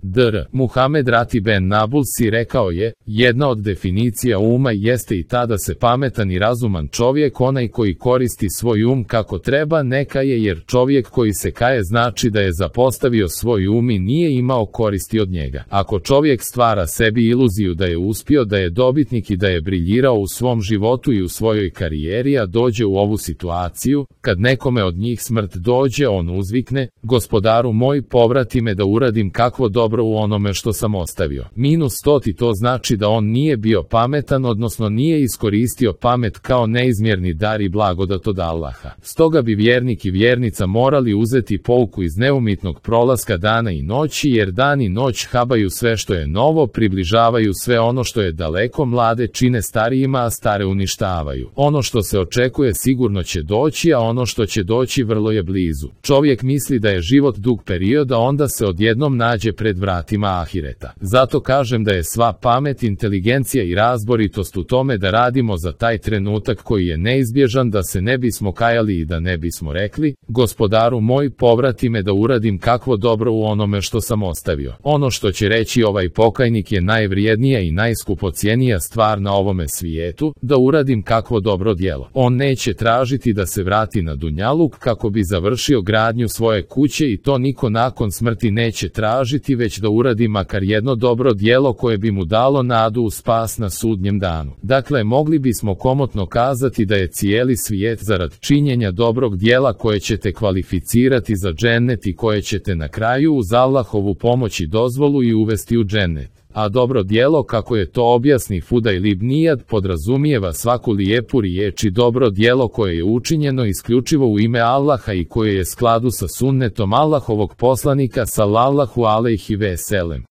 Dr. Muhamed Ratib ben Nabulsi rekao je, jedna od definicija uma jeste i ta da se pametan i razuman čovjek onaj koji koristi svoj um kako treba neka je, jer čovjek koji se kaje znači da je zapostavio svoj um i nije imao koristi od njega. Ako čovjek stvara sebi iluziju da je uspio, da je dobitnik i da je briljirao u svom životu i u svojoj karijeri, a dođe u ovu situaciju, kad nekome od njih smrt dođe, on uzvikne, gospodaru moj, povrati me da uradim kakvo dobro u onome što sam ostavio. -100 to znači da on nije bio pametan, odnosno nije iskoristio pamet kao neizmjerni dar i blagodat od Allaha. Stoga bi vjernik i vjernica morali uzeti pouku iz neumitnog prolaska dana i noći, jer dan i noć habaju sve što je novo, približavaju sve ono što je daleko, mlade čine starijima, a stare uništavaju. Ono što se očekuje sigurno će doći, a ono što će doći vrlo je blizu. Čovjek misli da je život dug period, a onda se odjednom nađe pred vratima ahireta. Zato kažem da je sva pamet, inteligencija i razboritost u tome da radimo za taj trenutak koji je neizbježan, da se ne bismo kajali i da ne bismo rekli, gospodaru moj, povrati me da uradim kakvo dobro u onome što sam ostavio. Ono što će reći ovaj pokajnik je najvrijednija i najskupocijenija stvar na ovome svijetu, da uradim kakvo dobro djelo. On neće tražiti da se vrati na dunjaluk kako bi završio gradnju svoje kuće, i to niko nakon smrti neće tražiti, već da uradi makar jedno dobro djelo koje bi mu dalo nadu u spas na sudnjem danu. Dakle, mogli bismo komotno kazati da je cijeli svijet zarad činjenja dobrog djela koje ćete kvalificirati za džennet i koje ćete na kraju uz Allahovu pomoć i dozvolu i uvesti u džennet. A dobro djelo, kako je to objasni Fudajl ibn Iyad, podrazumijeva svaku lijepu riječ i dobro djelo koje je učinjeno isključivo u ime Allaha i koje je skladu sa sunnetom Allahovog poslanika sallallahu alejhi ve sellem.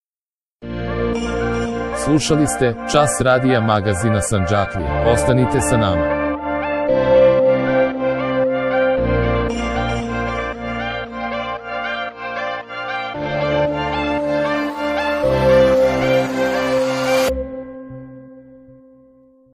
Slušali ste Čas radija magazina Sandžaklija. Ostanite sa nama.